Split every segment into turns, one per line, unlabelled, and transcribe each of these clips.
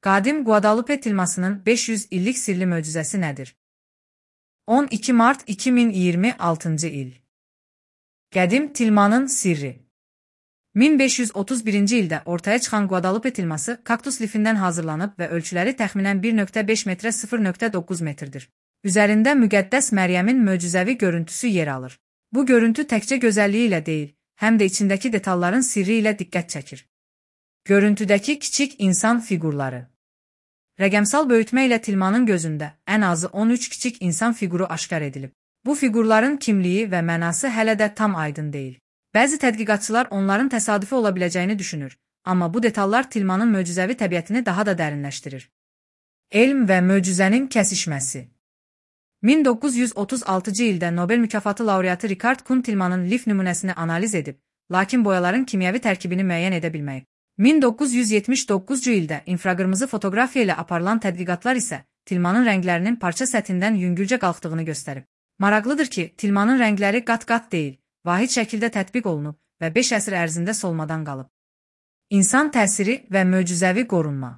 Qadim Guadalupe tilmasının 500 illik sirli möcüzəsi nədir? 12 mart 2026-cı il. Qədim tilmanın sirri. 1531-ci ildə ortaya çıxan Guadalupe tilması kaktus lifindən hazırlanıb və ölçüləri təxminən 1.5 metrə 0.9 metrdir. Üzərində müqəddəs Məryəmin möcüzəvi görüntüsü yer alır. Bu görüntü təkcə gözəlliyi ilə deyil, həm də içindəki detalların sirri ilə diqqət çəkir. Görüntüdəki kiçik insan fiqurları. Rəqəmsal böyütmə ilə tilmanın gözündə ən azı 13 kiçik insan fiquru aşkar edilib. Bu fiqurların kimliyi və mənası hələ də tam aydın deyil. Bəzi tədqiqatçılar onların təsadüfi ola biləcəyini düşünür, amma bu detallar tilmanın möcüzəvi təbiətini daha da dərinləşdirir. Elm və möcüzənin kəsişməsi. 1936-cı ildə Nobel mükafatı laureatı Richard Kuhn tilmanın lif nümunəsini analiz edib, lakin boyaların kimyəvi tərkibini müəyyən edə bilməyib. 1979-cu ildə infraqırmızı fotoqrafiya ilə aparılan tədqiqatlar isə tilmanın rənglərinin parça səthindən yüngülcə qalxdığını göstərib. Maraqlıdır ki, tilmanın rəngləri qat-qat deyil, vahid şəkildə tətbiq olunub və 5 əsr ərzində solmadan qalıb. İnsan təsiri və möcüzəvi qorunma.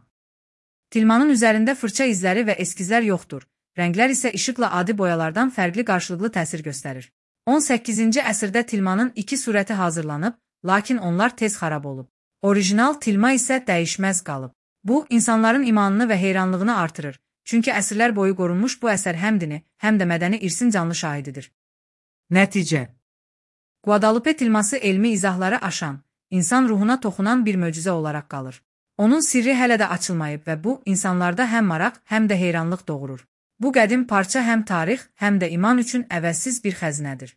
Tilmanın üzərində fırça izləri və eskizlər yoxdur, rənglər isə işıqla adi boyalardan fərqli qarşılıqlı təsir göstərir. 18-ci əsrdə tilmanın 2 surəti hazırlanıb, lakin onlar tez xarab olub. Orijinal tilma isə dəyişməz qalıb. Bu, insanların imanını və heyranlığını artırır, çünki əsrlər boyu qorunmuş bu əsər həm dini, həm də mədəni irsin canlı şahididir. Nəticə. Guadalupe tilması elmi izahları aşan, insan ruhuna toxunan bir möcüzə olaraq qalır. Onun sirri hələ də açılmayıb və bu, insanlarda həm maraq, həm də heyranlıq doğurur. Bu qədim parça həm tarix, həm də iman üçün əvəzsiz bir xəzinədir.